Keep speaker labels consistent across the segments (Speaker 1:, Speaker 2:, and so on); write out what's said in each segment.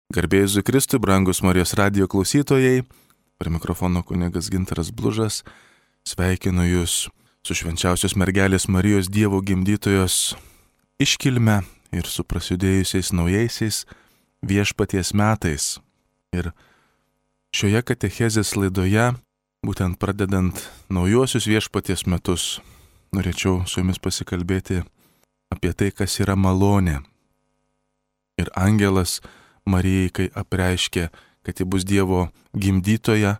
Speaker 1: Garbėjai Jėzui Kristui, brangus Marijos radijo klausytojai, prie mikrofono kunigas Gintaras Blužas, sveikinu Jūs su švenčiausios mergelės Marijos Dievo gimdytojos iškilme ir su prasidėjusiais naujaisiais viešpaties metais. Ir šioje katechezės laidoje, būtent pradedant naujuosius viešpaties metus, norėčiau su Jumis pasikalbėti apie tai, kas yra malonė. Ir angelas Marijai, kai apreiškė, kad ji bus Dievo gimdytoja,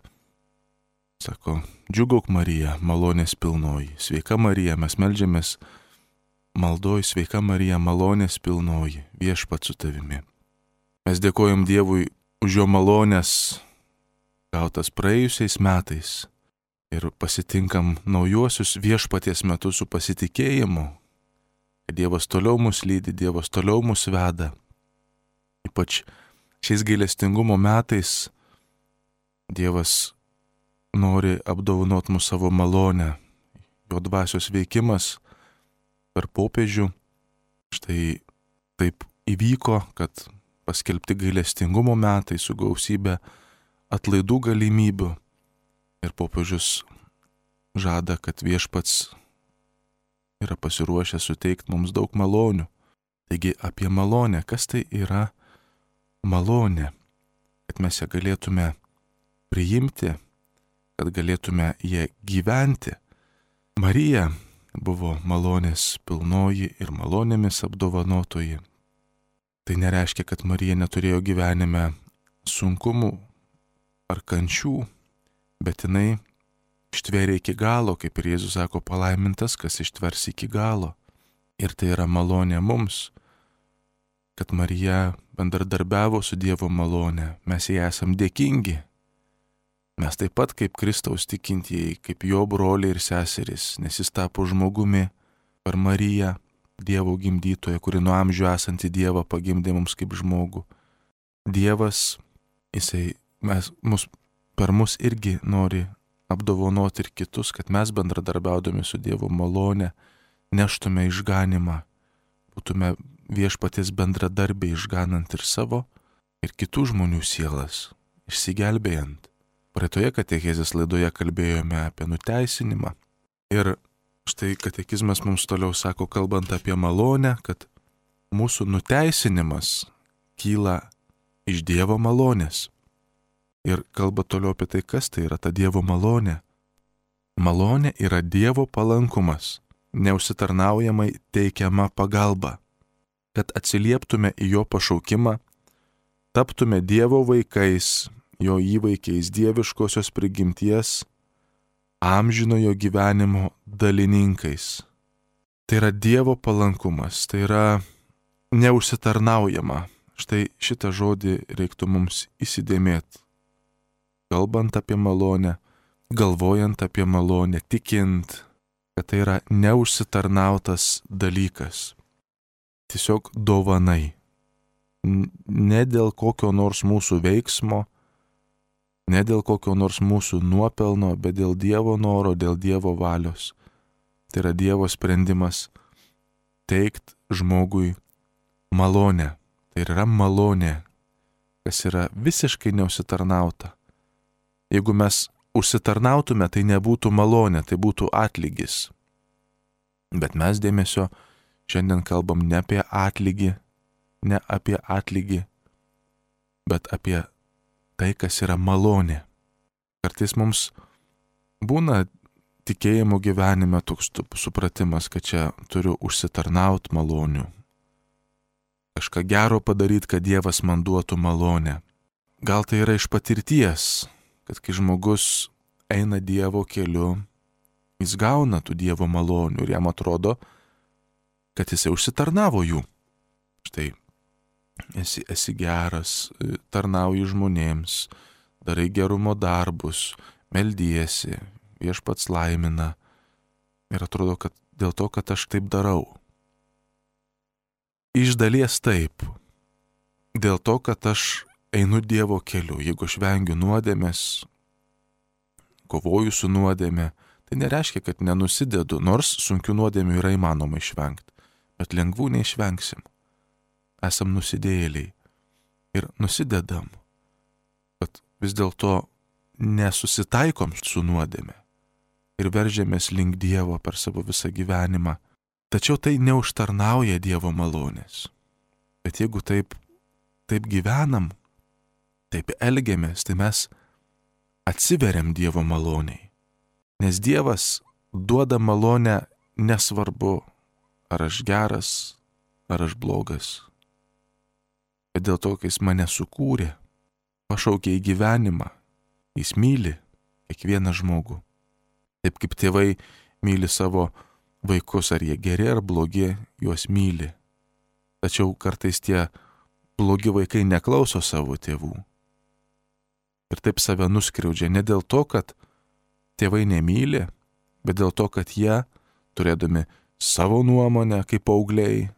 Speaker 1: sako, džiugauk Marija, malonės pilnoji, sveika Marija, mes meldžiamės maldoj, sveika Marija, malonės pilnoji, viešpats su tavimi. Mes dėkojam Dievui už jo malonės gautas praėjusiais metais ir pasitinkam naujuosius viešpaties metus su pasitikėjimu, kad Dievas toliau mus lydi, Dievas toliau mus veda. Ypač šiais gailestingumo metais Dievas nori apdovanot mus savo malonę, jo dvasios veikimas per popiežių. Štai taip įvyko, kad paskelbti gailestingumo metai su gausybė atlaidų galimybių ir popiežius žada, kad viešpats yra pasiruošęs suteikti mums daug malonių. Taigi apie malonę, kas tai yra malonė, kad mes ją galėtume priimti, kad galėtume ją gyventi. Marija buvo malonės pilnoji ir malonėmis apdovanotoji. Tai nereiškia, kad Marija neturėjo gyvenime sunkumų ar kančių, bet jinai ištvėrė iki galo, kaip ir Jėzus sako, palaimintas, kas ištvers iki galo. Ir tai yra malonė mums, kad Marija bendradarbiavo su Dievo malone, mes jai esam dėkingi. Mes taip pat kaip Kristaus tikintieji, kaip jo broliai ir seserys, nes jis tapo žmogumi per Mariją, Dievo gimdytoją, kuri nuo amžių esantį Dievą pagimdė mums kaip žmogų. Dievas, per mus irgi nori apdovanoti ir kitus, kad mes bendradarbiaudami su Dievo malone neštume išganimą, būtume viešpaties bendradarbiai išganant ir savo, ir kitų žmonių sielas, išsigelbėjant. Praeitoje katechezės laidoje kalbėjome apie nuteisinimą. Ir štai katekizmas mums toliau sako, kalbant apie malonę, kad mūsų nuteisinimas kyla iš Dievo malonės. Ir kalba toliau apie tai, kas tai yra ta Dievo malonė. Malonė yra Dievo palankumas, neužsitarnaujamai teikiama pagalba, kad atsilieptume į jo pašaukimą, taptume Dievo vaikais, jo įvaikiais dieviškosios prigimties, amžinojo gyvenimo dalininkais. Tai yra Dievo palankumas, tai yra neužsitarnaujama. Štai šitą žodį reiktų mums įsidėmėti. Kalbant apie malonę, galvojant apie malonę, tikint, kad tai yra neužsitarnautas dalykas. Tiesiog dovanai. Ne dėl kokio nors mūsų veiksmo, ne dėl kokio nors mūsų nuopelno, bet dėl Dievo noro, dėl Dievo valios. Tai yra Dievo sprendimas teikt žmogui malonę. Tai yra malonė, kas yra visiškai neužsitarnauta. Jeigu mes užsitarnautume, tai nebūtų malonė, tai būtų atlygis. Bet mes dėmesio šiandien kalbam ne apie atlygį, bet apie tai, kas yra malonė. Kartais mums būna tikėjimo gyvenime toks supratimas, kad čia turiu užsitarnaut malonių. Kažką gero padaryti, kad Dievas man duotų malonę. Gal tai yra iš patirties, kad kai žmogus eina Dievo keliu, jis gauna tų Dievo malonių ir jam atrodo, kad jisai užsitarnavo jų. Štai, esi geras, tarnauji žmonėms, darai gerumo darbus, meldiesi, viešpats laimina. Ir atrodo, kad dėl to, kad aš taip darau. Iš dalies taip. Dėl to, kad aš einu Dievo keliu. Jeigu aš vengiu nuodėmės, kovoju su nuodėmė, tai nereiškia, kad nenusidedu, nors sunkių nuodėmių yra įmanoma išvengti. Bet lengvų neišvengsim. Esam nusidėjėliai. ir nusidedam, kad vis dėlto nesusitaikom su nuodėme ir veržiamės link Dievo per savo visą gyvenimą. Tačiau tai neužtarnauja Dievo malonės. Bet jeigu taip gyvenam, taip elgiamės, tai mes atsiveriam Dievo maloniai. Nes Dievas duoda malonę nesvarbu, ar aš geras, ar aš blogas. Bet dėl to, kai jis mane sukūrė, pašaukė į gyvenimą, jis myli kiekvieną žmogų. Taip kaip tėvai myli savo vaikus, ar jie geri ar blogi, juos myli. Tačiau kartais tie blogi vaikai neklauso savo tėvų. Ir taip save nuskriaudžia ne dėl to, kad tėvai nemyli, bet dėl to, kad jie, turėdami savo nuomonę kaip paaugliai,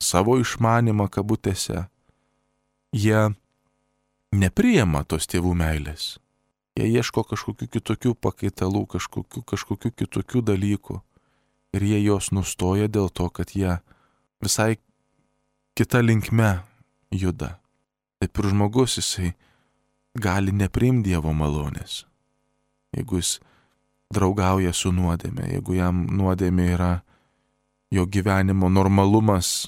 Speaker 1: savo išmanimą kabutėse, jie nepriima tos tėvų meilės. Jie ieško kažkokių kitokių pakaitalų, kažkokių kitokių dalykų. Ir jie jos nustoja dėl to, kad jie visai kita linkme juda. Taip ir žmogus jisai gali nepriimti Dievo malonės. Jeigu jis draugauja su nuodėme, jeigu jam nuodėmė yra jo gyvenimo normalumas,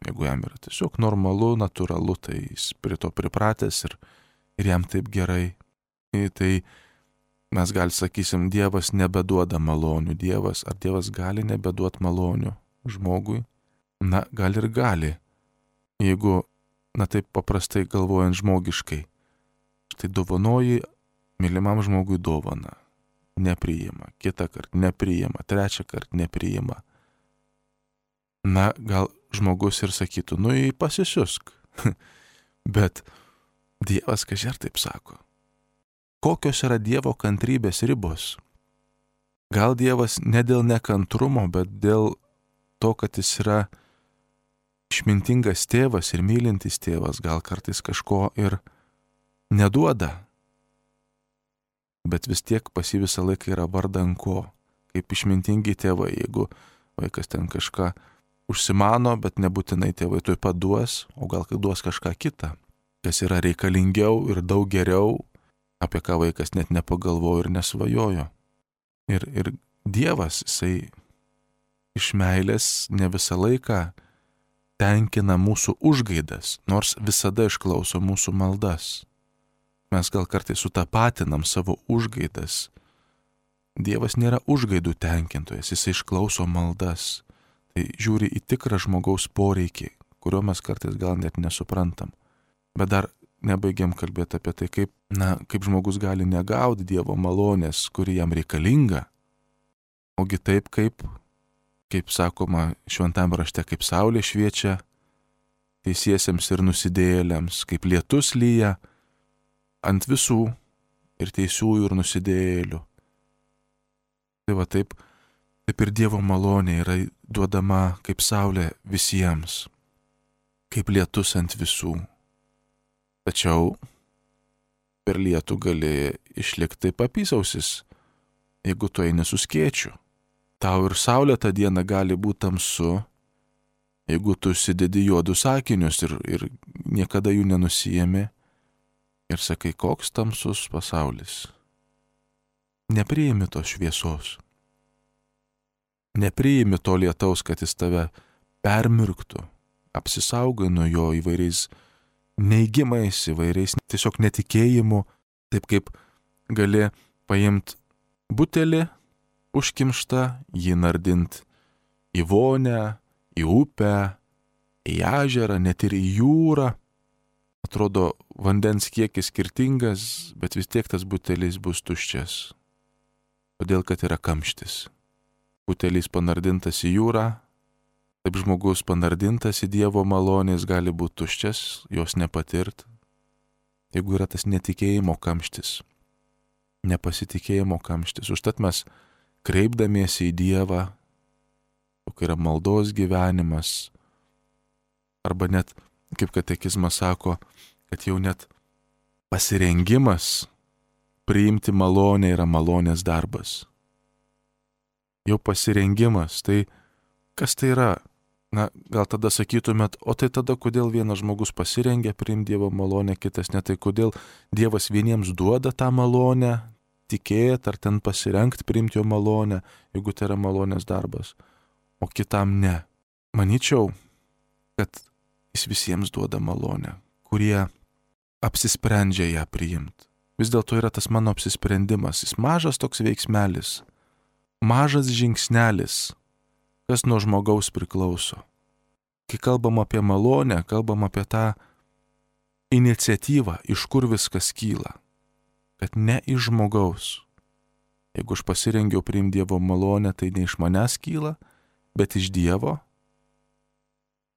Speaker 1: jeigu jam yra tiesiog normalu, natūralu, tai jis prie to pripratęs ir jam taip gerai. Tai mes sakysim, Dievas nebeduoda malonių. Ar Dievas gali nebeduoti malonių žmogui? Na, gal ir gali. Jeigu, taip paprastai galvojant žmogiškai, štai dovanoji mylimam žmogui dovaną. Nepriima, kitą kartą nepriima, trečią kartą nepriima. Na, gal žmogus ir sakytų, pasisiusk. Bet Dievas kažer taip sako. Kokios yra Dievo kantrybės ribos? Gal Dievas ne dėl nekantrumo, bet dėl to, kad jis yra išmintingas tėvas ir mylintis tėvas, gal kartais kažko ir neduoda. Bet vis tiek pas jį visą laiką yra vardan ko. Kaip išmintingi tėvai, jeigu vaikas ten kažką užsimano, bet nebūtinai tėvai tuoj pat duos, o gal duos kažką kitą, kas yra reikalingiau ir daug geriau, apie ką vaikas net nepagalvojo ir nesvajojo. Ir Dievas, jisai iš meilės ne visą laiką tenkina mūsų užgaidas, nors visada išklauso mūsų maldas. Mes gal kartais sutapatinam savo užgaidas. Dievas nėra užgaidų tenkintojas, jisai išklauso maldas. Tai žiūri į tikrą žmogaus poreikį, kurio mes kartais gal net nesuprantam. Bet dar nebaigiam kalbėti apie tai, kaip žmogus gali negauti Dievo malonės, kuri jam reikalinga. Ogi taip, kaip sakoma šventame rašte, kaip saulė šviečia teisiesiems ir nusidėjėliams, kaip lietus lyja ant visų ir teisiųjų ir nusidėjėlių. Tai va taip ir Dievo malonė yra duodama kaip saulė visiems, kaip lietus ant visų. Tačiau per lietų gali išlikti taip apysausis, jeigu tu eini su skėčiu. Tau ir saulė tą dieną gali būti tamsu, jeigu tu užsidedi juodus akinius ir niekada jų nenusijemi ir sakai, koks tamsus pasaulis. Nepriimi tos šviesos. Nepriimi to lietaus, kad jis tave permirktų. Apsisaugai nuo jo įvairiais neigimais, įvairiais tiesiog netikėjimu, taip kaip gali paimti butelį užkimštą, jį nardint į vonę, į upę, į ežerą, net ir į jūrą. Atrodo, vandens kiekis skirtingas, bet vis tiek tas butelis bus tuščias, todėl kad yra kamštis. Butelis panardintas į jūrą, taip žmogus panardintas į Dievo malonės gali būti tuščias, jos nepatirt, jeigu yra tas netikėjimo kamštis, nepasitikėjimo kamštis. Užtat mes kreipdamiesi į Dievą, kai yra maldos gyvenimas, arba net, kaip katekizmas sako, kad jau net pasirengimas priimti malonę yra malonės darbas. Jau pasirengimas, tai kas tai yra? Na, gal tada sakytumėt, o tai tada kodėl vienas žmogus pasirengia priimti Dievo malonę, kitas ne, tai kodėl Dievas vieniems duoda tą malonę, tikėti ar ten pasirengti priimti jo malonę, jeigu tai yra malonės darbas, o kitam ne. Manyčiau, kad jis visiems duoda malonę, kurie apsisprendžia ją priimti. Vis dėlto yra tas mano apsisprendimas, jis mažas toks veiksmelis, mažas žingsnelis, kas nuo žmogaus priklauso. Kai kalbam apie malonę, kalbam apie tą iniciatyvą, iš kur viskas kyla. Kad ne iš žmogaus. Jeigu aš pasirengiau priimti Dievo malonę, tai ne iš manęs kyla, bet iš Dievo.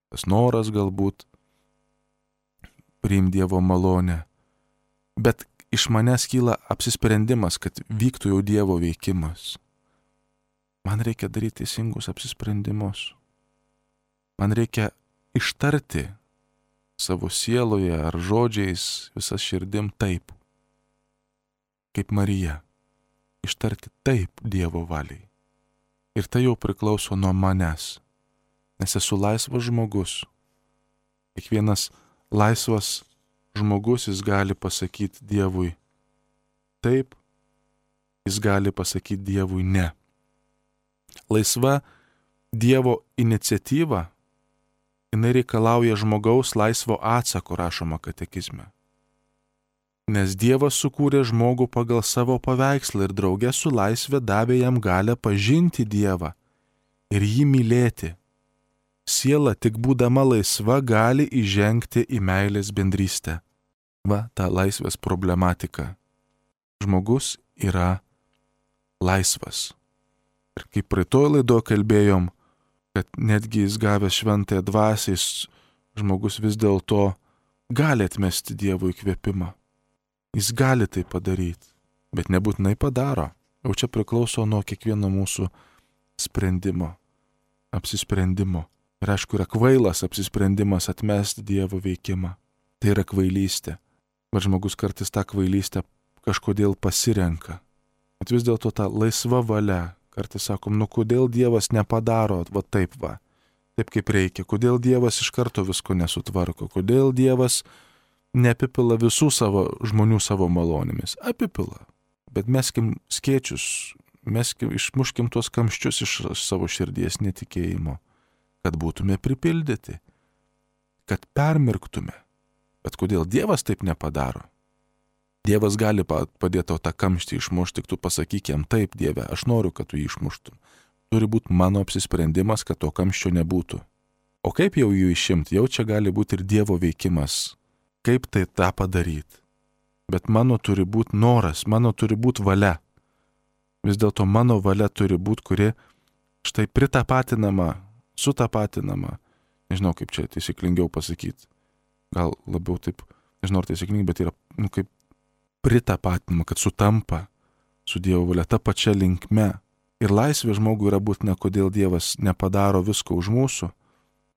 Speaker 1: Tas noras galbūt priimti Dievo malonę. Bet iš manęs kyla apsisprendimas, kad vyktų jau Dievo veikimas. Man reikia daryti teisingus apsisprendimus. Man reikia ištarti savo sieloje ar žodžiais visas širdim taip, kaip Marija. Ištarti taip Dievo valiai. Ir tai jau priklauso nuo manęs, nes esu laisvas žmogus. Kiekvienas laisvas žmogus, jis gali pasakyti Dievui taip, jis gali pasakyti Dievui ne. Laisva Dievo iniciatyva, jinai reikalauja žmogaus laisvo atsako, rašoma katekizme. Nes Dievas sukūrė žmogų pagal savo paveikslą ir drauge su laisvė davė jam galią pažinti Dievą ir jį mylėti. Siela tik būdama laisva gali įžengti į meilės bendrystę. Va, ta laisvės problematika. Žmogus yra laisvas. Ir kaip praeitoj laidoje kalbėjom, kad netgi jis gavęs šventąją dvasią, žmogus vis dėlto gali atmesti Dievo įkvėpimą. Jis gali tai padaryti, bet nebūtinai padaro. Jau čia priklauso nuo kiekvieno mūsų sprendimo, apsisprendimo. Ir aišku, yra kvailas apsisprendimas atmesti Dievo veikimą. Tai yra kvailystė. Bet žmogus kartais tą kvailystę kažkodėl pasirenka. Bet vis dėlto ta laisva valia. Kartais sakom, kodėl Dievas nepadaro va taip va, taip kaip reikia, kodėl Dievas iš karto visko nesutvarko, kodėl Dievas neapipila visų savo žmonių savo malonėmis. Apipila, bet meskim skėčius, išmuškim tuos kamščius iš savo širdies netikėjimo, kad būtume pripildyti, kad permirktume. Bet kodėl Dievas taip nepadaro? Dievas gali padėti tau tą kamštį išmušti, tik tu pasakyk jam taip, Dieve, aš noriu, kad tu jį išmuštum. Turi būti mano apsisprendimas, kad to kamščio nebūtų. O kaip jau jų išimti? Jau čia gali būti ir Dievo veikimas. Kaip tai tą padaryti? Bet mano turi būti noras, mano turi būti valia. Vis dėlto mano valia turi būti, kuri štai pritapatinama, sutapatinama. Nežinau, kaip čia taisyklingiau pasakyti. Gal labiau taip, nežinau, ar taisyklingai, bet yra, kaip pritapatinama, kad sutampa su Dievo valia ta pačia linkme. Ir laisvė žmogui yra būtina, kodėl Dievas nepadaro visko už mūsų,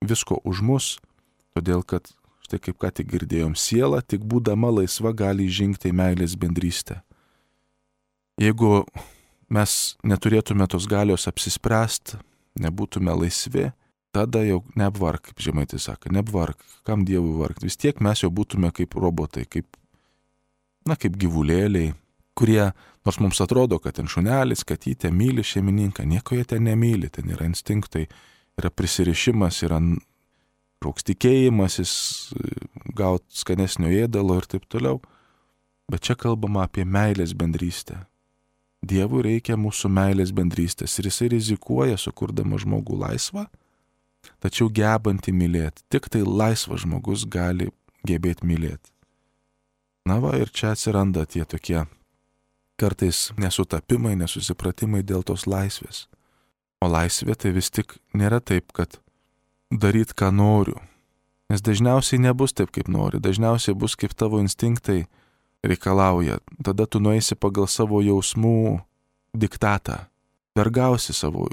Speaker 1: visko už mus, todėl kad, štai kaip ką tik girdėjom, siela tik būdama laisva gali įžengti į meilės bendrystę. Jeigu mes neturėtume tos galios apsispręsti, nebūtume laisvi, tada jau neapvark, kaip Žemaitis sako, neapvark, kam Dievui vargti. Vis tiek mes jau būtume kaip robotai, kaip gyvulėliai, kurie, nors mums atrodo, kad ten šunelis, katytė myli šeimininką, nieko jie ten nemyli, ten yra instinktai, yra prisirišimas, yra koks tikėjimasis, gauti skanesnio ėdalo ir taip toliau. Bet čia kalbama apie meilės bendrystę. Dievui reikia mūsų meilės bendrystės ir jisai rizikuoja, sukurdama žmogų laisvą, tačiau gebantį mylėti. Tik tai laisvas žmogus gali gebėti mylėti. Na va, ir čia atsiranda tie tokie kartais nesutapimai, nesusipratimai dėl tos laisvės. O laisvė tai vis tik nėra taip, kad daryt ką noriu. Nes dažniausiai nebus taip, kaip nori. Dažniausiai bus, kaip tavo instinktai reikalauja. Tada tu nueisi pagal savo jausmų diktatą. Vergausi savo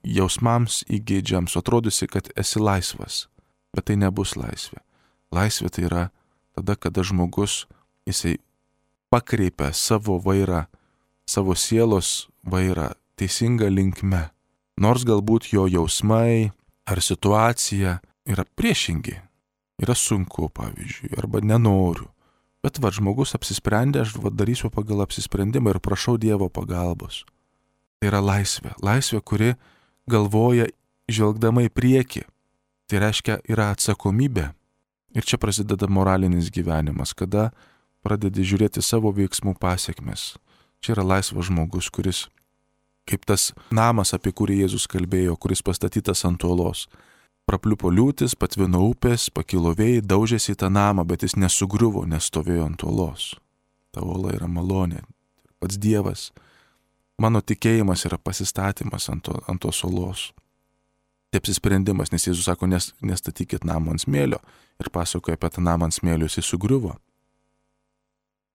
Speaker 1: jausmams įgeidžiams, atrodysi, kad esi laisvas. Bet tai nebus laisvė. Laisvė tai yra tada, kada žmogus jisai pakreipia savo vairą, savo sielos vairą teisingą linkme. Nors galbūt jo jausmai, ar situacija yra priešingi. Yra sunku, pavyzdžiui, arba nenoriu. Bet žmogus apsisprendė, aš darysiu pagal apsisprendimą ir prašau Dievo pagalbos. Tai yra laisvė. Laisvė, kuri galvoja žvelgdama į priekį. Tai reiškia, yra atsakomybė. Ir čia prasideda moralinis gyvenimas, kada pradedi žiūrėti savo veiksmų pasiekmes. Čia yra laisvas žmogus, kuris, kaip tas namas, apie kurį Jėzus kalbėjo, kuris pastatytas ant uolos. Prapliupo liūtis, patvino upės, pakilo vėjai, daužėsi į tą namą, bet jis nesugriuvo, nes stovėjo ant uolos. Ta uola yra malonė. Pats Dievas. Mano tikėjimas yra pasistatymas ant tos uolos. Tai apsisprendimas, nes Jėzus sako, nestatykit namą ant smėlio. Ir pasakoja apie tą namą ant smėlio, jis sugriuvo.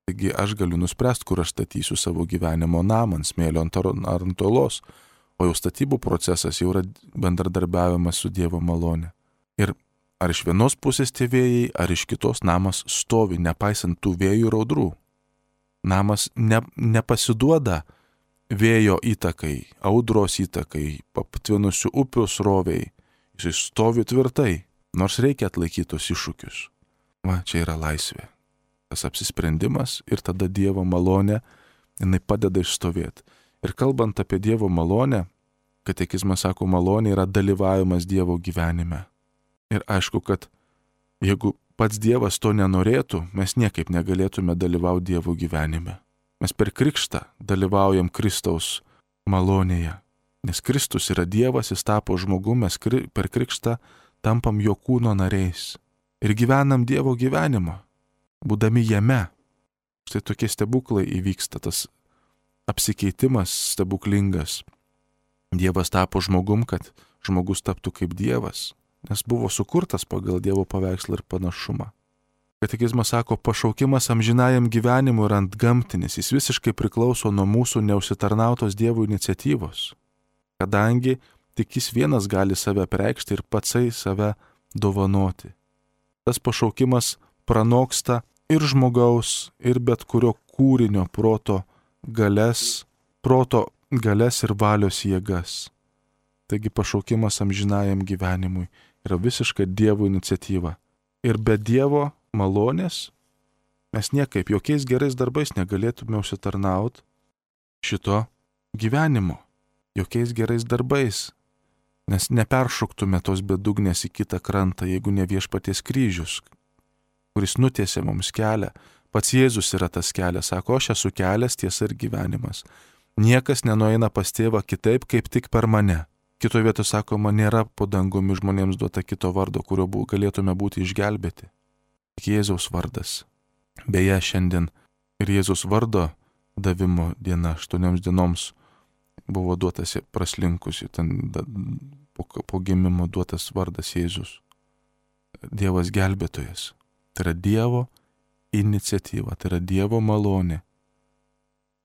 Speaker 1: Taigi aš galiu nuspręsti, kur aš statysiu savo gyvenimo namą ant smėlio ar ant uolos. O jau statybų procesas jau yra bendradarbiavimas su Dievo malone. Ir ar iš vienos pusės tie vėjai, ar iš kitos namas stovi, nepaisant tų vėjų ir audrų. Namas nepasiduoda vėjo įtakai, audros įtakai, patvinusių upių sroviai. Jis stovi tvirtai, nors reikia atlaikyti tos iššūkius. Čia yra laisvė. Tas apsisprendimas ir tada Dievo malonė, jinai padeda išstovėti. Ir kalbant apie Dievo malonę, katekizmas sako, malonė yra dalyvavimas Dievo gyvenime. Ir aišku, kad jeigu pats Dievas to nenorėtų, mes niekaip negalėtume dalyvauti Dievo gyvenime. Mes per krikštą dalyvaujam Kristaus malonėje. Nes Kristus yra Dievas, jis tapo žmogumi, mes per krikštą tampam jo kūno nariais. Ir gyvenam Dievo gyvenimą, būdami jame. Štai tokie stebuklai įvyksta, tas apsikeitimas stebuklingas. Dievas tapo žmogum, kad žmogus taptų kaip Dievas, nes buvo sukurtas pagal Dievo paveikslą ir panašumą. Katekizmas sako, pašaukimas amžinajam gyvenimui yra antgamtinis, jis visiškai priklauso nuo mūsų neužsitarnautos Dievo iniciatyvos, kadangi tik jis vienas gali save apreikšti ir patsai save dovanoti. Tas pašaukimas pranoksta ir žmogaus, ir bet kurio kūrinio proto galias ir valios jėgas. Taigi pašaukimas amžinajam gyvenimui yra visiška Dievo iniciatyva. Ir be Dievo malonės mes niekaip, jokiais gerais darbais negalėtume užsitarnauti šito gyvenimo. Jokiais gerais darbais. Nes neperšoktume tos bedugnės į kitą krantą, jeigu ne Viešpaties kryžius, kuris nutiesė mums kelią. Pats Jėzus yra tas kelias, sako, aš esu kelias, tiesa ir gyvenimas. Niekas nenueina pas tėvą kitaip, kaip tik per mane. Kitoje vietoje sako, man nėra po dangumi žmonėms duota kito vardo, kurio galėtume būti išgelbėti. Tik Jėzaus vardas. Beje, šiandien ir Jėzaus vardo davimo diena, 8 dienoms buvo duotas praslinkusi, po gimimo duotas vardas Jėzus. Dievas gelbėtojas. Tai yra Dievo iniciatyva, tai yra Dievo malonė.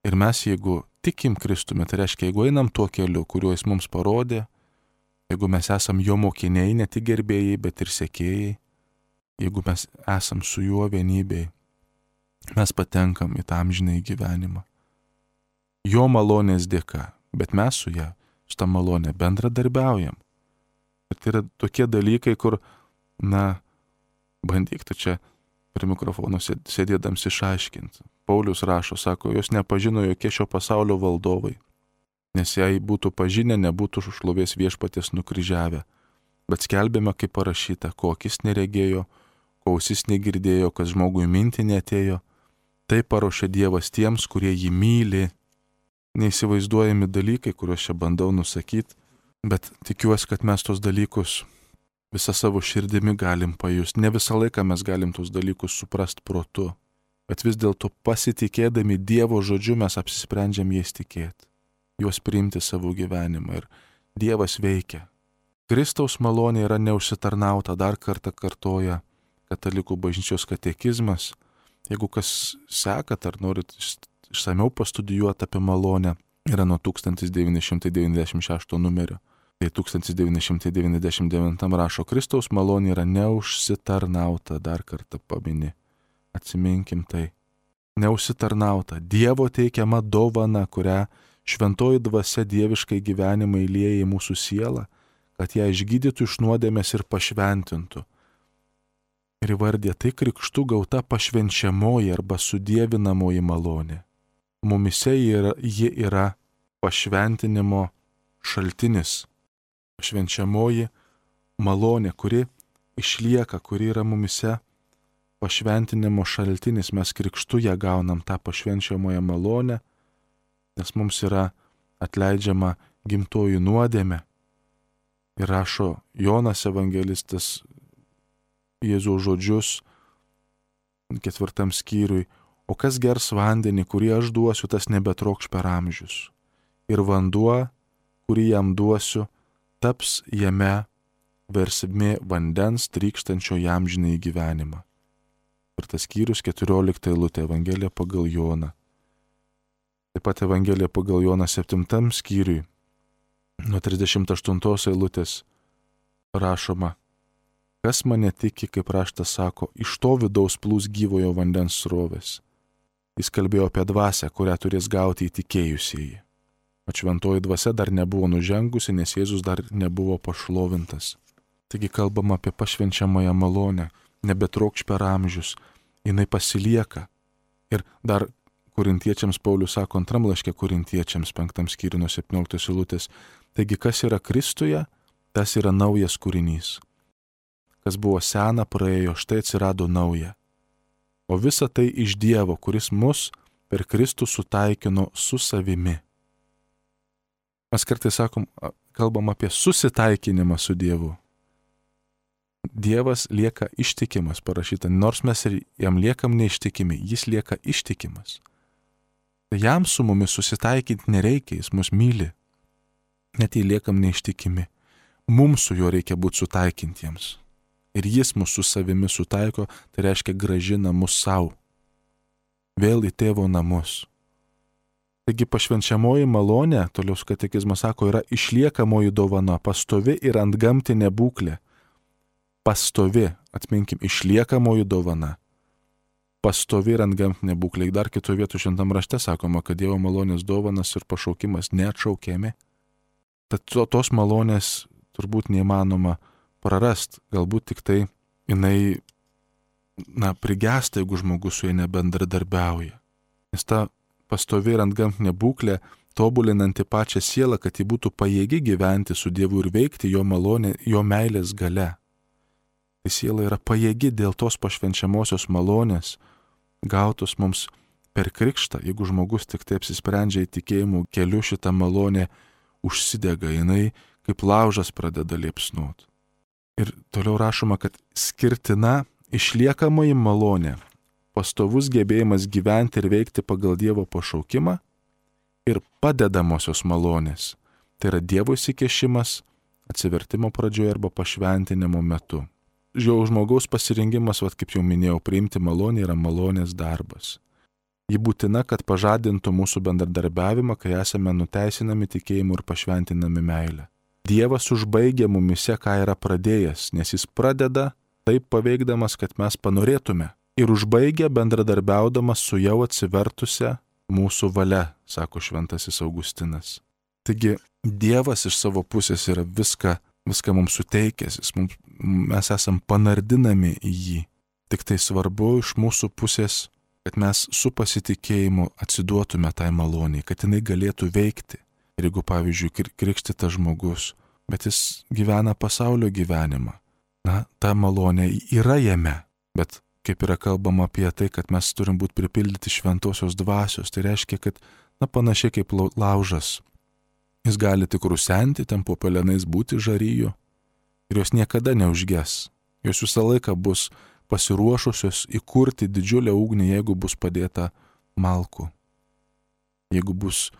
Speaker 1: Ir mes, jeigu tikim Kristume, tai reiškia, jeigu einam tuo keliu, kuriuo jis mums parodė, jeigu mes esam jo mokiniai, ne tik gerbėjai, bet ir sekėjai, jeigu mes esam su juo vienybėj, mes patenkam į tą amžinąjį gyvenimą. Jo malonės dėka, bet mes su ja, su tą malonę bendradarbiaujam. Ir tai yra tokie dalykai, kur, bandyk tu čia prie mikrofono sėdėdams išaiškinti. Paulius rašo, sako, jos nepažino jokie šio pasaulio valdovai, nes jei būtų pažinę, nebūtų šlovės Viešpaties nukryžiavę. Bet skelbėme, kaip parašyta, ko akis neregėjo, ko ausis negirdėjo, kas žmogui mintį neatėjo. Tai paruošė Dievas tiems, kurie jį myli. Neįsivaizduojami dalykai, kuriuos čia bandau nusakyti, bet tikiuosi, kad mes tos dalykus visą savo širdimi galim pajusti. Ne visą laiką mes galim tos dalykus suprast protu, bet vis dėlto pasitikėdami Dievo žodžiu mes apsisprendžiam jais tikėti, juos priimti savo gyvenimą ir Dievas veikia. Kristaus malonė yra neužsitarnauta, dar kartą kartoja Katalikų bažnyčios katekizmas. Jeigu kas sekat ar norit išsamiau pastudijuoti apie malonę, yra nuo 1996 numerio. Tai 1999 rašo, Kristaus malonė yra neužsitarnauta, dar kartą pamini. Atsiminkim tai. Neužsitarnauta, Dievo teikiama dovana, kurią šventoji dvasia dieviškai gyvenimą įlieja į mūsų sielą, kad ją išgydytų iš nuodėmės ir pašventintų. Ir įvardė tai krikštu gauta pašvenčiamoji arba sudievinamoji malonė. Mumise ji yra pašventinimo šaltinis. Pašvenčiamoji malonė, kuri išlieka, kuri yra mumise pašventinimo šaltinis. Mes krikštu ją gaunam tą pašvenčiamąją malonę, nes mums yra atleidžiama gimtoji nuodėmė. Ir rašo Jonas evangelistas Jėzaus žodžius 4 skyriui: o kas gers vandenį, kurį aš duosiu, tas nebetrokš per amžius. Ir vanduo, kurį jam duosiu, taps jame versmė vandens trykštančio jam amžinąjį gyvenimą. Ir tas skyrius 14 eilutė, Evangelija pagal Joną. Taip pat Evangelija pagal Joną 7 skyriui, nuo 38 eilutės rašoma: kas mane tiki, kaip raštas sako, iš to vidaus plūs gyvojo vandens srovės. Jis kalbėjo apie dvasią, kurią turės gauti įtikėjusieji. O šventoji dvasia dar nebuvo nužengusi, nes Jėzus dar nebuvo pašlovintas. Taigi kalbama apie pašvenčiamąją malonę, nebetrokš per amžius, jinai pasilieka. Ir dar Korintiečiams Paulius sako 2 laiške Korintiečiams 5 skyriui nuo 17 eilutės: taigi kas yra Kristuje, tas yra naujas kūrinys. Kas buvo sena, praėjo, štai atsirado nauja. O visa tai iš Dievo, kuris mus per Kristų sutaikino su savimi. Mes kartais kalbam apie susitaikinimą su Dievu. Dievas lieka ištikimas, parašyta, nors mes ir jam liekam neištikimi, jis lieka ištikimas. Jam su mumis susitaikinti nereikia, jis mus myli. Net jei liekam neištikimi, mums su juo reikia būti sutaikintiems. Ir jis mus su savimi sutaiko, tai reiškia grąžina mus savo. Vėl į tėvo namus. Taigi pašvenčiamoji malonė, toliau katekizmas sako, yra išliekamoji dovana, pastovi ir antgamtinė būklė. Pastovi, atminkim, išliekamoji dovana. Pastovi ir antgamtinė būklė. Dar kitoje vietoje šventam rašte sakoma, kad Dievo malonės dovanas ir pašaukimas neatšaukiami. Tad tos malonės turbūt neįmanoma prarast, galbūt tik tai jinai, prigesta, jeigu žmogus su ja nebendradarbiauja. Nes ta pastovi ir antgamtinė būklė, tobulinanti pačią sielą, kad ji būtų pajėgi gyventi su Dievu ir veikti jo malonė, jo meilės gale. Tai siela yra pajėgi dėl tos pašvenčiamosios malonės, gautos mums per krikštą. Jeigu žmogus tik taip apsisprendžia į tikėjimų keliu, šitą malonę užsidega, jinai kaip laužas pradeda liepsnuoti. Ir toliau rašoma, kad skirtina išliekamoji malonė, pastovus gebėjimas gyventi ir veikti pagal Dievo pašaukimą ir padedamosios malonės. Tai yra Dievo įsikešimas atsivertimo pradžioje arba pašventinimo metu. Jau žmogaus pasirengimas, kaip jau minėjau, priimti malonę yra malonės darbas. Ji būtina, kad pažadintų mūsų bendradarbiavimą, kai esame nuteisinami tikėjimu ir pašventinami meilę. Dievas užbaigia mumise, ką yra pradėjęs, nes jis pradeda taip paveikdamas, kad mes panorėtume. Ir užbaigia bendradarbiaudamas su jau atsivertusia mūsų valia, sako šventasis Augustinas. Taigi Dievas iš savo pusės yra viską mums suteikęs, mes esam panardinami į jį. Tik tai svarbu iš mūsų pusės, kad mes su pasitikėjimu atsiduotume tai maloniai, kad jinai galėtų veikti. Ir jeigu, pavyzdžiui, krikštytas žmogus, bet jis gyvena pasaulio gyvenimą, ta malonė yra jame, bet kaip yra kalbama apie tai, kad mes turim būti pripildyti šventosios dvasios, tai reiškia, kad, panašiai kaip laužas, jis gali tik rusenti, ten po pelenais būti žaryju ir jos niekada neužges. Jos visą laiką bus pasiruošusios įkurti didžiulę ugnį, jeigu bus padėta malkų. Jeigu bus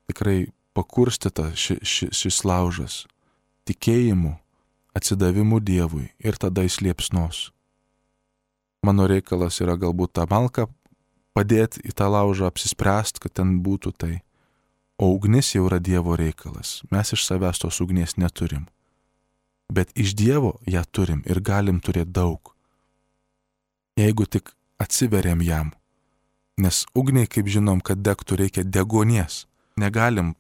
Speaker 1: tikrai pakurstyta šis laužas tikėjimu, atsidavimu Dievui ir tada jis liepsnos. Mano reikalas yra galbūt tą malką padėti į tą laužą, apsispręsti, kad ten būtų tai. O ugnis jau yra Dievo reikalas. Mes iš savęs tos ugnies neturim. Bet iš Dievo ją turim ir galim turėti daug. Jeigu tik atsiveriam jam. Nes ugniai, kaip žinom, kad degtų, reikia deguonies. Negalim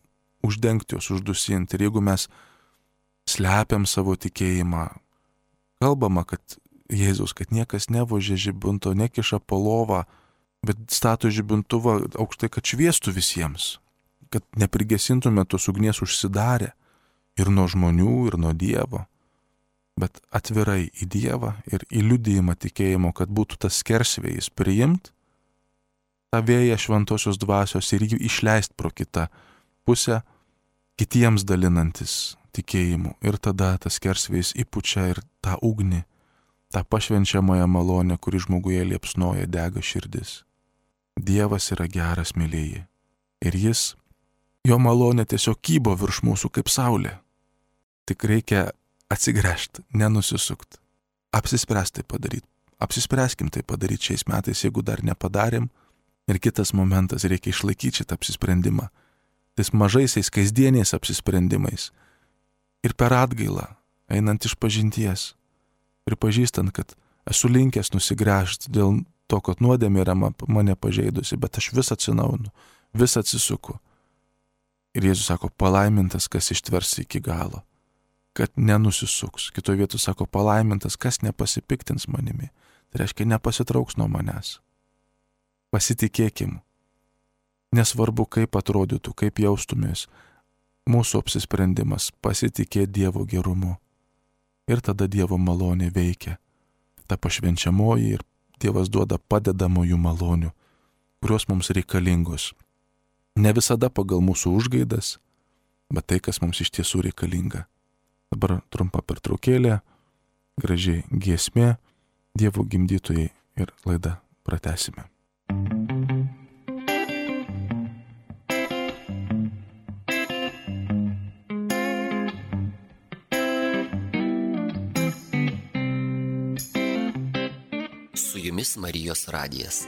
Speaker 1: uždengti jos, uždusinti. Ir jeigu mes slepiam savo tikėjimą. Kalbama, kad Jėzus, kad niekas nevožia žibinto, nekiša po lovą, bet stato žibintuvą aukštai, kad šviestų visiems, kad neprigesintume tos ugnies užsidarę ir nuo žmonių, ir nuo Dievo, bet atvirai į Dievą ir į liudijimą tikėjimo, kad būtų tas skersvėjis priimt tą vėją šventosios dvasios ir jį išleist pro kitą pusę, kitiems dalinantis tikėjimu. Ir tada tas skersvėjis įpučia ir tą ugnį, tą pašvenčiamąją malonę, kuri žmoguje liepsnoja, dega širdis. Dievas yra geras, mylėjai. Ir jo malonė tiesiog kybo virš mūsų kaip saulė. Tik reikia atsigręžti, nenusisukt. Apsispręsti tai padaryti. Apsispręskim tai padaryti šiais metais, jeigu dar nepadarėm. Ir kitas momentas, reikia išlaikyti šitą apsisprendimą. Tais mažaisiais, kasdieniais apsisprendimais. Ir per atgailą, einant iš pažinties. Pripažįstant, kad esu linkęs nusigręžti dėl to, kad nuodėmė yra mane pažeidusi, bet aš vis atsinaujinu, vis atsisuku. Ir Jėzus sako, palaimintas, kas ištvers iki galo, kad nenusisuks. Kitoje vietoje sako, palaimintas, kas nepasipiktins manimi. Tai reiškia, nepasitrauks nuo manęs. Pasitikėkim. Nesvarbu, kaip atrodytų, kaip jaustumės. Mūsų apsisprendimas pasitikėti Dievo gerumu. Ir tada Dievo malonė veikia. Ta pašvenčiamoji ir Dievas duoda padedamųjų malonių, kurios mums reikalingos. Ne visada pagal mūsų užgaidas, bet tai, kas mums iš tiesų reikalinga. Dabar trumpa pertraukėlė, gražiai giesmė, Dievo gimdytojai ir laidą pratęsime.
Speaker 2: Su jumis Marijos radijas.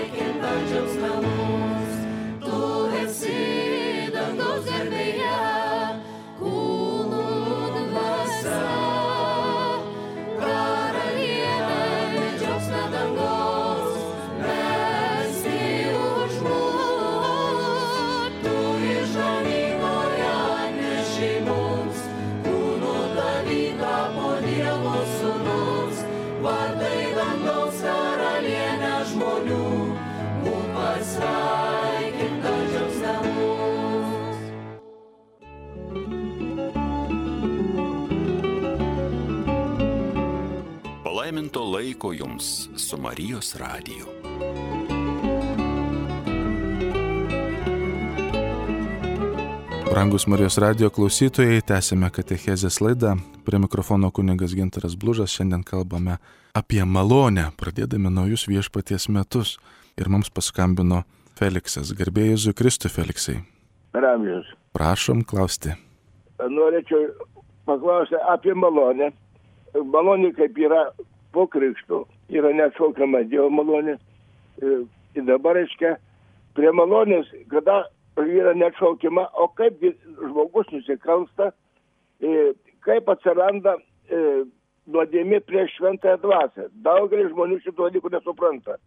Speaker 3: Pasveikinta džiaugsme mus, tu esi Palaiminto laiko jums su Marijos radiju.
Speaker 1: Brangus Marijos radijo klausytojai, tęsime katechezės laidą. Prie mikrofono kunigas Gintaras Blužas. Šiandien kalbame apie malonę, pradėdami naujus viešpaties metus. Ir mums paskambino Feliksas. Garbė Jėzui Kristui, Feliksai.
Speaker 4: Ramžius.
Speaker 1: Prašom klausti.
Speaker 4: Norėčiau paklausyti apie malonę. Malonė kaip yra po krikšto, yra neatšaukiama Dievo malonė. Ir dabar, reiškia, prie malonės, kada yra neatšaukiama, o kaip žmogus nusikalsta, kaip atsiranda nuodėmė prieš šventąją dvasią. Daugelis žmonių šito dalykų nesupranta.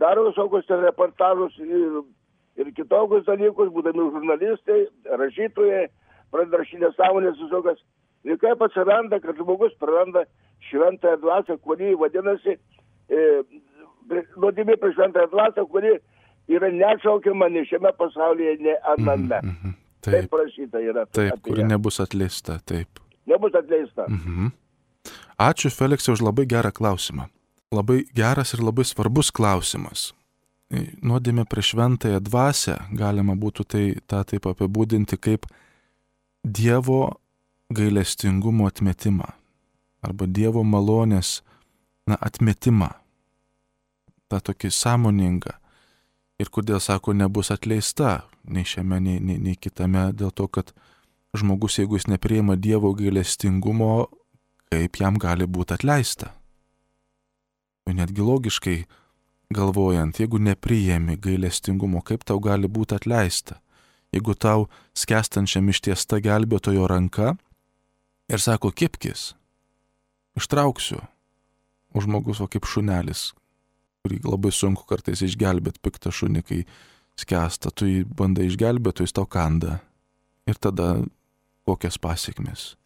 Speaker 4: Daro visokius reportažus ir kitokius dalykus, būdami žurnalistai, rašytojai, pradeda rašyti nesąmonės visokias. Ir kaip atsiranda, kad žmogus praranda šventąją dvasią, kuri vadinasi nuodėmė prieš šventąją dvasią, kuri yra neatšaukiama ne šiame pasaulyje, ne aname. Taip prašyta yra.
Speaker 1: Taip, kuri nebus atleista, taip.
Speaker 4: Nebus atleista.
Speaker 1: Ačiū, Feliksai, už labai gerą klausimą. Labai geras ir labai svarbus klausimas. Nuodėmė prieš šventąją dvasią galima būtų tą taip apibūdinti kaip Dievo gailestingumo atmetimą arba Dievo malonės atmetimą. Ta tokį sąmoningą. Ir kodėl, sako, nebus atleista nei šiame, nei kitame, dėl to, kad žmogus, jeigu jis nepriima Dievo gailestingumo, kaip jam gali būti atleista. Netgi logiškai galvojant, jeigu nepriimi gailestingumo, kaip tau gali būti atleista. Jeigu tau skęstančiam ištiesta gelbėtojo ranka ir sako, kibkis, ištrauksiu, o žmogus, kaip šunelis, kurį labai sunku kartais išgelbėti piktą šunį, kai skęsta, tu jį bandai išgelbėti, jis tau kanda. Ir tada kokias pasiekmes.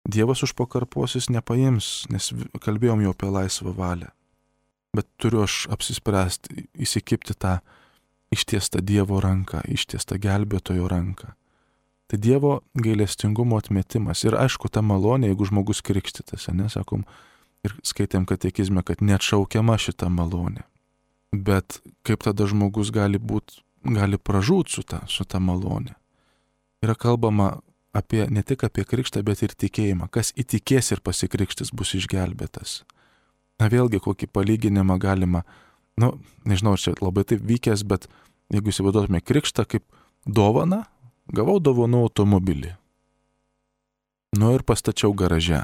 Speaker 1: Dievas už pakarpos jis nepaims, nes kalbėjom jau apie laisvą valią. Bet turiu aš apsispręsti, įsikibti tą ištiestą Dievo ranką, ištiestą gelbėtojo ranką. Tai Dievo gailestingumo atmetimas. Ir aišku, ta malonė, jeigu žmogus krikštytas, sakom, ir skaitėm katekizme, kad neatšaukiama šita malonė. Bet kaip tada žmogus gali pražūt su ta malonė. Yra kalbama ne tik apie krikštą, bet ir tikėjimą. Kas įtikės ir pasikrikštis bus išgelbėtas. Vėlgi, kokį palyginimą galima, nežinau, ar čia labai taip vykęs, bet jeigu įsivaizduotume krikštą kaip dovaną, gavau dovanų automobilį. Ir pastačiau garaže.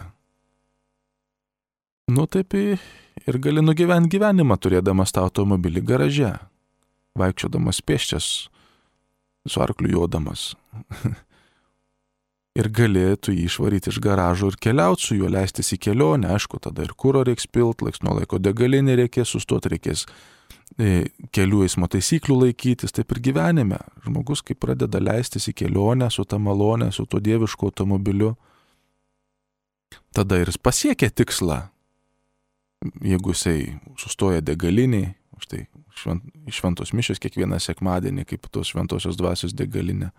Speaker 1: Taip ir gali nugyventi gyvenimą turėdamas tą automobilį garaže, vaikščiodamas pėsčias, su arkliu jodamas. Ir galėtų jį išvaryti iš garažo ir keliauti su juo, leistis į kelionę. Aišku, tada ir kuro reiks pilt, laiks nuo laiko degalinė reikės sustoti, reikės kelių eismo taisyklių laikytis. Taip ir gyvenime. Žmogus, kai pradeda leistis į kelionę su ta malonė, su tuo dievišku automobiliu, tada ir jis pasiekia tikslą. Jeigu jisai sustoja degaliniai, štai šventos mišios kiekvieną sekmadienį, kaip tos šventosios dvasios degalinė.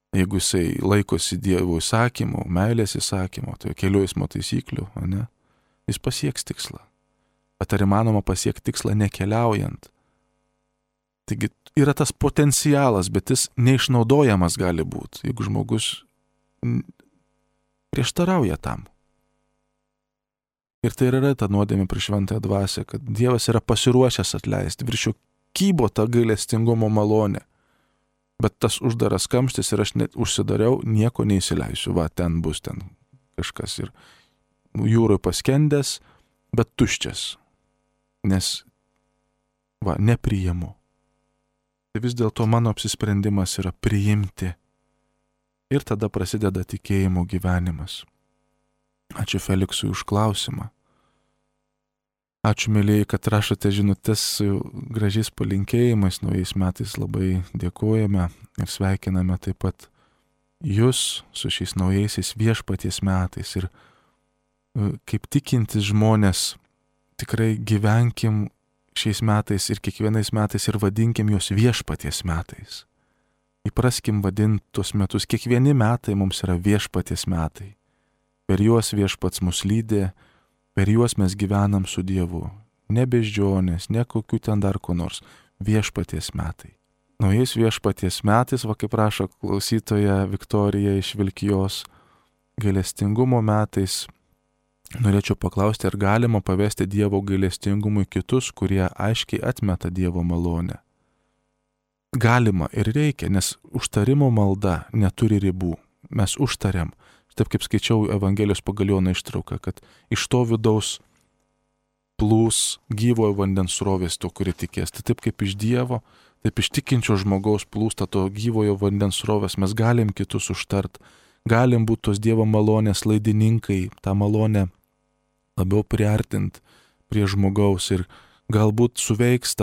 Speaker 1: Jeigu jisai laikosi Dievo įsakymų, meilės įsakymų, tai kelių eismo taisyklių, jis pasieks tikslą. Bet ar įmanoma pasiekti tikslą nekeliaujant? Taigi yra tas potencialas, bet jis neišnaudojamas gali būti, jeigu žmogus prieštarauja tam. Ir tai yra ta nuodėmė prieš šventąją dvasią, kad Dievas yra pasiruošęs atleisti, virš jo kybo ta gailestingumo malonė. Bet tas uždaras kamštis ir aš net užsidariau, nieko neįsileisiu, ten bus ten kažkas ir jūroje paskendęs, bet tuščias, nes nepriimu. Tai vis dėlto mano apsisprendimas yra priimti ir tada prasideda tikėjimo gyvenimas. Ačiū Feliksui už klausimą. Ačiū, mėlyjei, kad rašote žinutes su gražiais palinkėjimais. Naujais metais labai dėkojame ir sveikiname taip pat jūs su šiais naujaisiais viešpaties metais. Ir kaip tikintis žmonės, tikrai gyvenkim šiais metais ir kiekvienais metais ir vadinkim juos viešpaties metais. Įpraskim vadinti tuos metus, kiekvieni metai mums yra viešpaties metai. Per juos viešpats mus lydė, per juos mes gyvenam su Dievu. Ne beždžionės, ne kokių ten dar ko nors, viešpaties metai. Naujais viešpaties metais, va kaip rašo klausytoja Viktorija iš Vilkijos, gailestingumo metais, norėčiau paklausti, ar galima pavesti Dievo gailestingumui kitus, kurie aiškiai atmeta Dievo malonę. Galima ir reikia, nes užtarimo malda neturi ribų. Mes užtariam. Taip kaip skaičiau Evangelijos pagal Joną ištrauką, kad iš to vidaus plūs gyvojo vandens srovės to, kuri tikės. Tai taip kaip iš Dievo, taip iš tikinčio žmogaus plūsta to gyvojo vandens srovės. Mes galim kitus užtart, galim būti tos Dievo malonės laidininkai, tą malonę labiau priartint prie žmogaus ir galbūt suveiks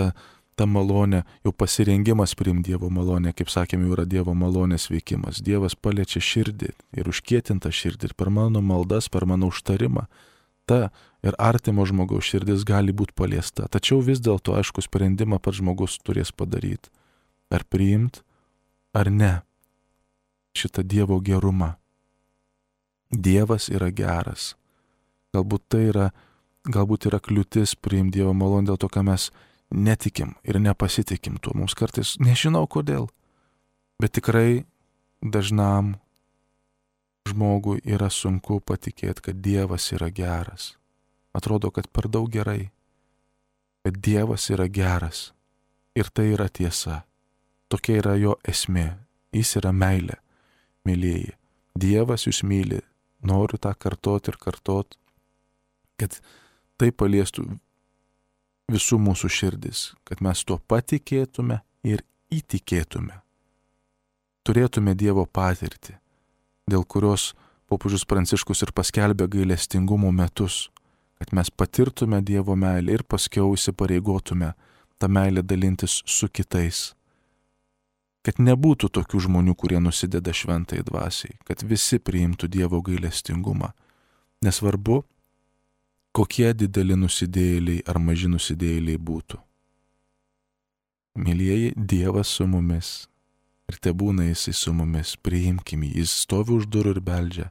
Speaker 1: ta malonė, jau pasirengimas priimti Dievo malonę, kaip sakėm, jau yra Dievo malonės veikimas. Dievas paliečia širdį ir užkietinta širdį ir per mano maldas, per mano užtarimą ta ir artimo žmogaus širdis gali būti paliesta. Tačiau vis dėlto, aišku, sprendimą pats žmogus turės padaryti. Ar priimti, ar ne šitą Dievo gerumą. Dievas yra geras. Galbūt yra kliūtis priimti Dievo malonę dėl to, ką mes netikim ir nepasitikim tuo. Mums kartais nežinau kodėl, bet tikrai dažnam žmogui yra sunku patikėti, kad Dievas yra geras. Atrodo, kad per daug gerai, bet Dievas yra geras ir tai yra tiesa. Tokia yra jo esmė. Jis yra meilė, mylėjai. Dievas jūs myli. Noriu tą kartot ir kartot, kad tai paliestų visų mūsų širdis, kad mes tuo patikėtume ir įtikėtume. Turėtume Dievo patirtį, dėl kurios popiežius Pranciškus ir paskelbė gailestingumo metus, kad mes patirtume Dievo meilę ir paskiau įsipareigotume tą meilę dalintis su kitais. Kad nebūtų tokių žmonių, kurie nusideda šventai dvasiai, kad visi priimtų Dievo gailestingumą. Nesvarbu, kokie dideli nusidėjėliai ar maži nusidėjėliai būtų. Mylieji, Dievas su mumis ir tebūna Jisai su mumis, priimkim jį, Jis stovi už durų ir beldžia.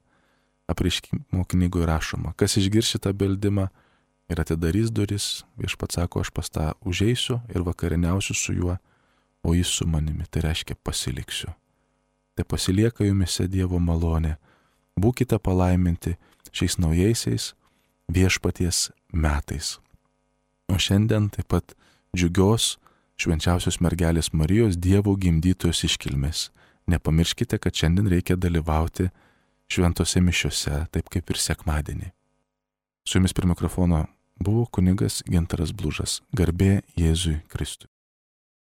Speaker 1: Apreiškimo knygoje rašoma, kas išgirs šitą beldimą ir atidarys duris, Viešpats sako, aš pas tą užeisiu ir vakarieniausiu su juo, o Jis su manimi, tai reiškia pasiliksiu. Tai pasilieka jumise Dievo malonė. Būkite palaiminti šiais naujaisiais viešpaties metais. O šiandien taip pat džiugios švenčiausios mergelės Marijos Dievo gimdytojos iškilmės. Nepamirškite, kad šiandien reikia dalyvauti šventose mišiose, taip kaip ir sekmadienį. Su jumis prie mikrofono buvo kunigas Gintaras Blužas. Garbė Jėzui Kristui.